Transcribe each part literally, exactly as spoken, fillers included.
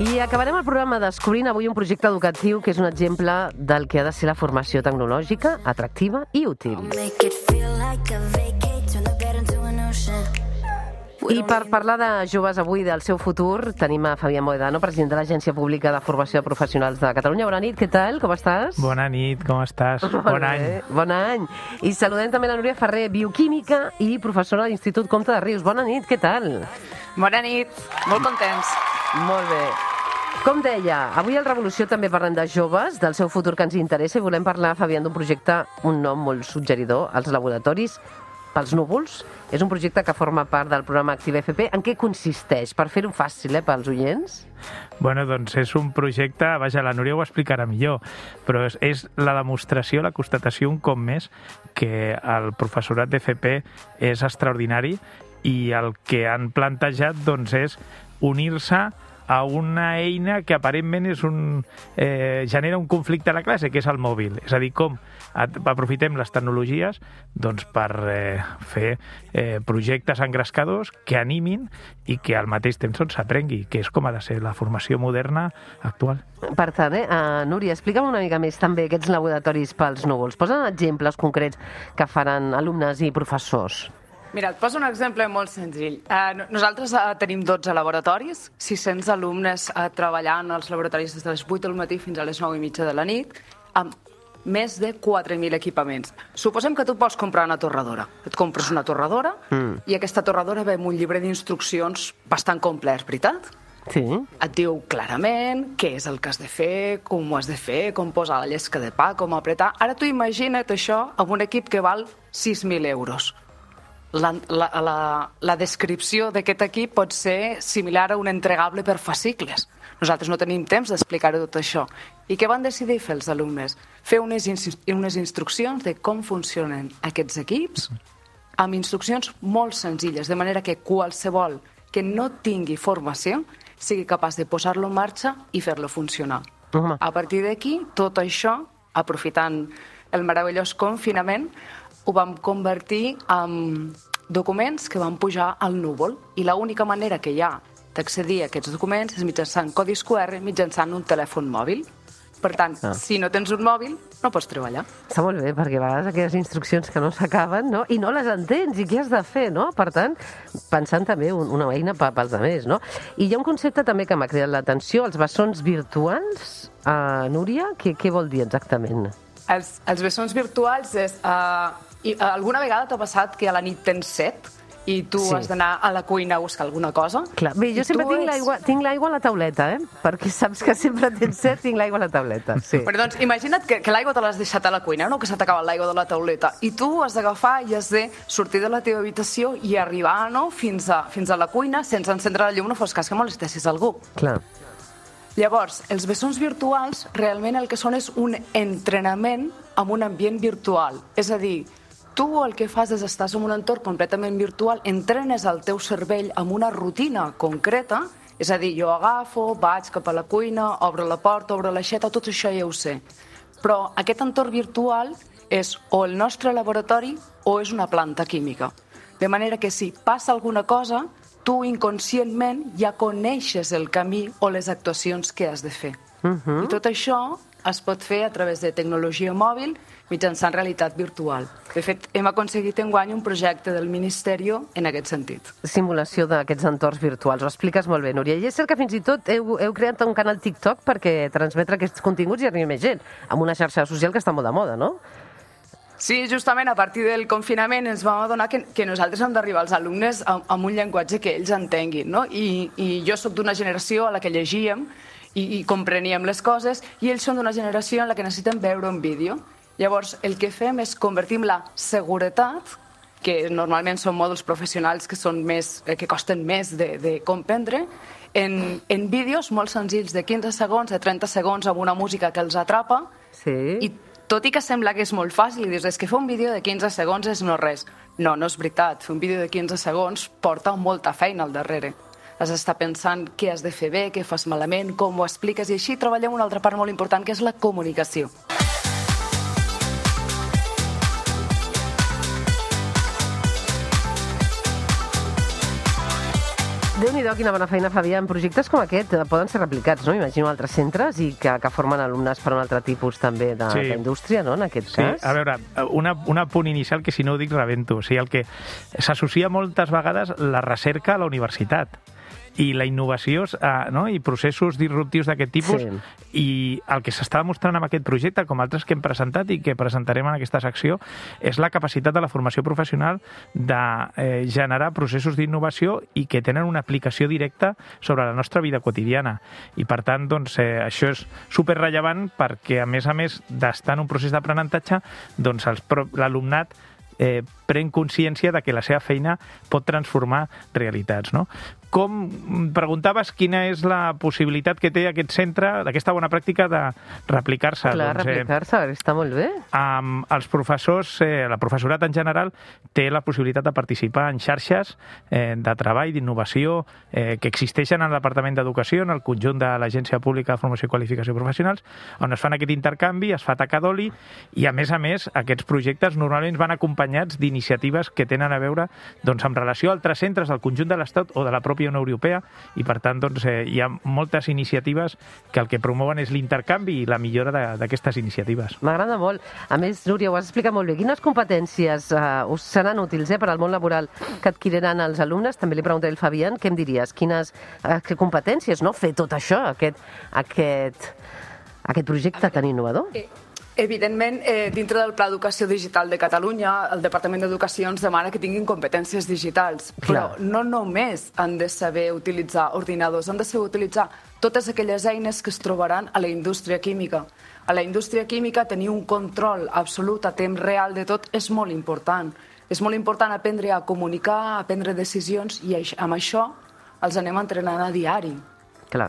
I acabarem el programa descobrint avui un projecte educatiu que és un exemple del que ha de ser la formació tecnològica, atractiva i útil. I per parlar de joves avui, del seu futur, tenim a Fabián Mohedano, president de l'Agència Pública de Formació de Professionals de Catalunya. Bona nit, què tal? Com estàs? Bona nit, com estàs? Bon any. Bon any. I saludem també la Núria Ferrer, bioquímica i professora de l'Institut Comte de Rius. Bona nit, què tal? Bona nit, molt contents. Molt bé. Com deia, avui al Revolució també parlem de joves, del seu futur que ens interessa, i volem parlar, Fabián, d'un projecte, un nom molt suggeridor, els laboratoris pels núvols. És un projecte que forma part del programa Active F P. En què consisteix? Per fer-ho fàcil, eh, pels oients? Bueno, doncs és un projecte, vaja, la Núria ho explicarà millor, però és, és la demostració, la constatació un cop més que el professorat d'F P és extraordinari i el que han plantejat doncs, és unir-se a una eina que aparentment és un, eh, genera un conflicte a la classe, que és el mòbil. És a dir, com aprofitem les tecnologies doncs, per eh, fer eh, projectes engrescadors que animin i que al mateix temps s'aprengui, que és com ha de ser la formació moderna actual. Per tant, eh, uh, Núria, explica'm una mica més també aquests laboratoris pels núvols. Posa'n exemples concrets que faran alumnes i professors. Mira, et poso un exemple molt senzill. Eh, nosaltres eh, tenim dotze laboratoris, sis-cents alumnes eh, treballant als laboratoris des de les vuit del matí fins a les nou i mitja de la nit, amb més de quatre mil equipaments. Suposem que tu pots comprar una torradora. Et compres una torradora mm. i aquesta torradora ve amb un llibre d'instruccions bastant complet, veritat? Sí. Et diu clarament què és el que has de fer, com ho has de fer, com posar la llesca de pa, com apretar. Ara tu imagina't això amb un equip que val sis mil euros. La, la, la, la descripció d'aquest equip pot ser similar a un entregable per fascicles. Nosaltres no tenim temps d'explicar-ho tot això. I què van decidir fer els alumnes? Fer unes, unes instruccions de com funcionen aquests equips amb instruccions molt senzilles, de manera que qualsevol que no tingui formació sigui capaç de posar-lo en marxa i fer-lo funcionar. Uh-huh. A partir d'aquí, tot això, aprofitant el meravellós confinament, ho vam convertir en documents que van pujar al núvol i l'única manera que hi ha d'accedir a aquests documents és mitjançant codis Q R, mitjançant un telèfon mòbil. Per tant, ah. si no tens un mòbil, no pots treballar. Està molt bé, perquè a vegades aquelles instruccions que no s'acaben, no? I no les entens, i què has de fer, no? Per tant, pensant també una eina pels altres, no? I hi ha un concepte també que m'ha cridat l'atenció, els bessons virtuals. Uh, Núria, què, què vol dir exactament? Els, els bessons virtuals és... Uh, i, uh, alguna vegada t'ha passat que a la nit tens set i tu sí. has d'anar a la cuina a buscar alguna cosa? Clar. Bé, jo sempre tinc, ets... l'aigua, tinc l'aigua a la tauleta, eh? Perquè saps que sempre tens set, tinc l'aigua a la tauleta. Sí. Però doncs imagina't que, que l'aigua te l'has deixat a la cuina, no? Que s'ha acabat l'aigua de la tauleta. I tu has d'agafar i has de sortir de la teva habitació i arribar, no?, fins a, fins a la cuina sense encendre la llum, no fos cas que molestessis algú. Clar. Llavors, els bessons virtuals realment el que són és un entrenament en un ambient virtual. És a dir, tu el que fas és estàs en un entorn completament virtual, entrenes el teu cervell amb una rutina concreta, és a dir, jo agafo, vaig cap a la cuina, obro la porta, obro l'aixeta, tot això ja ho sé. Però aquest entorn virtual és o el nostre laboratori o és una planta química. De manera que si passa alguna cosa, tu inconscientment ja coneixes el camí o les actuacions que has de fer. Uh-huh. I tot això es pot fer a través de tecnologia mòbil mitjançant realitat virtual. De fet, hem aconseguit enguany un projecte del Ministeri en aquest sentit. Simulació d'aquests entorns virtuals. Ho expliques molt bé, Núria. I és cert que fins i tot heu, heu creat un canal TikTok perquè transmetre aquests continguts i arribi més gent, amb una xarxa social que està molt de moda, no? Sí, justament a partir del confinament ens vam adonar que, que nosaltres hem d'arribar als alumnes amb, amb un llenguatge que ells entenguin, no? I, i jo sóc d'una generació a la que llegíem i, i compreníem les coses i ells són d'una generació en la que necessiten veure un vídeo. Llavors, el que fem és convertir la seguretat, que normalment són mòduls professionals que, són més, que costen més de, de comprendre, en, en vídeos molt senzills de quinze segons, de trenta segons, amb una música que els atrapa. Sí. I tot i que sembla que és molt fàcil, i dius, és que fer un vídeo de quinze segons és no res. No, no és veritat. Fer un vídeo de quinze segons porta molta feina al darrere. Has d'estar pensant què has de fer bé, què fas malament, com ho expliques, i així treballem una altra part molt important, que és la comunicació. Déu-n'hi-do, quina bona feina, Fabià. Projectes com aquest poden ser replicats, no? Imagino altres centres i que, que formen alumnes per un altre tipus també de, Sí. d'indústria, no?, en aquest Sí, cas. a veure, una, una punt inicial que si no ho dic rebento. O sigui, el que s'associa moltes vegades la recerca a la universitat i la innovació eh, no? i processos disruptius d'aquest tipus, Sí. i el que s'està demostrant amb aquest projecte, com altres que hem presentat i que presentarem en aquesta secció, és la capacitat de la formació professional de eh, generar processos d'innovació i que tenen una aplicació directa sobre la nostra vida quotidiana. I per tant, doncs, eh, això és superrellevant perquè, a més a més d'estar en un procés d'aprenentatge, doncs els pro- l'alumnat eh, pren consciència de que la seva feina pot transformar realitats, no? Com preguntaves quina és la possibilitat que té aquest centre, d'aquesta bona pràctica de replicar-se? Clar, doncs, replicar-se, està molt bé. amb els professors, eh, la professorat en general, té la possibilitat de participar en xarxes eh, de treball, d'innovació, eh, que existeixen en el Departament d'Educació, en el conjunt de l'Agència Pública de Formació i Qualificació Professionals, on es fan aquest intercanvi, es fa taca d'oli, i a més a més aquests projectes normalment van acompanyats d'iniciatives que tenen a veure doncs, amb relació a altres centres del conjunt de l'Estat o de la pròpia Unió Europea, i per tant doncs, eh, hi ha moltes iniciatives que el que promouen és l'intercanvi i la millora de- d'aquestes iniciatives. M'agrada molt. A més, Núria, ho has explicat molt bé. Quines competències eh, us seran útils eh, per al món laboral que adquiriran els alumnes? També li preguntaré al Fabián, què em diries? Quines eh, que competències, no?, fer tot això, aquest, aquest, aquest projecte tan innovador? Eh, Evidentment, eh, dintre del Pla d'Educació Digital de Catalunya, el Departament d'Educació ens demana que tinguin competències digitals, però Clar. no només han de saber utilitzar ordinadors, han de saber utilitzar totes aquelles eines que es trobaran a la indústria química. A la indústria química tenir un control absolut a temps real de tot és molt important. És molt important aprendre a comunicar, a prendre decisions, i aix- amb això els anem entrenant a diari. Clar.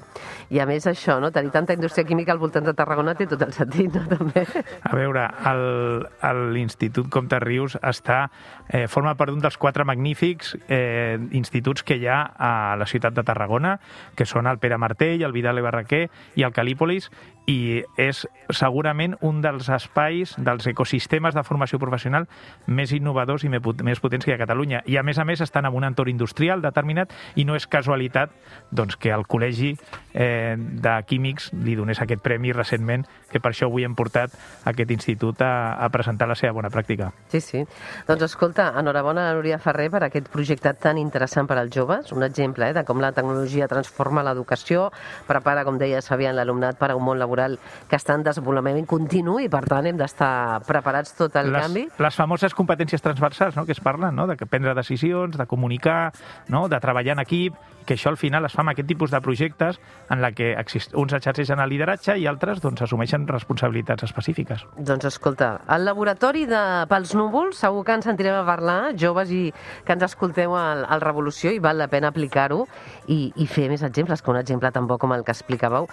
I a més això, no?, tenir tanta indústria química al voltant de Tarragona té tot el sentit, no?, també. A veure, el- el- l'Institut Comte Rius està, eh, forma part d'un dels quatre magnífics eh, instituts que hi ha a la ciutat de Tarragona, que són el Pere Martell, el Vidal i Barraquer i el Calípolis, i és segurament un dels espais, dels ecosistemes de formació professional més innovadors i me- més potents que hi ha a Catalunya. I a més a més estan en un entorn industrial determinat, i no és casualitat doncs, que el Col·legi eh, de Químics li donés aquest premi recentment, que per això avui hem portat aquest institut a, a presentar la seva bona pràctica. Sí, sí. Doncs escolta, enhorabona a Núria Ferrer per aquest projecte tan interessant per als joves, un exemple eh, de com la tecnologia transforma l'educació, prepara, com deies, Fabián, l'alumnat per a un món laboral que està en desenvolupament continu i, per tant, hem d'estar preparats tot el les, canvi. les famoses competències transversals, no?, que es parlen, no?, de prendre decisions, de comunicar, no?, de treballar en equip, que això al final es fa amb aquest tipus de projectes en la que exist... uns exerceixen el lideratge i altres doncs, assumeixen responsabilitats específiques. Doncs escolta, el laboratori de Pels Núvols, segur que ens sentirem a parlar, joves i que ens escolteu al, al Revolució, i val la pena aplicar-ho i, i fer més exemples, que un exemple tan bo com el que explicàveu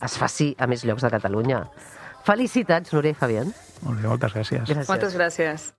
es faci a més llocs de Catalunya. Felicitats, Núria i Fabián. Molt bé, moltes gràcies. Gràcies. Moltes gràcies.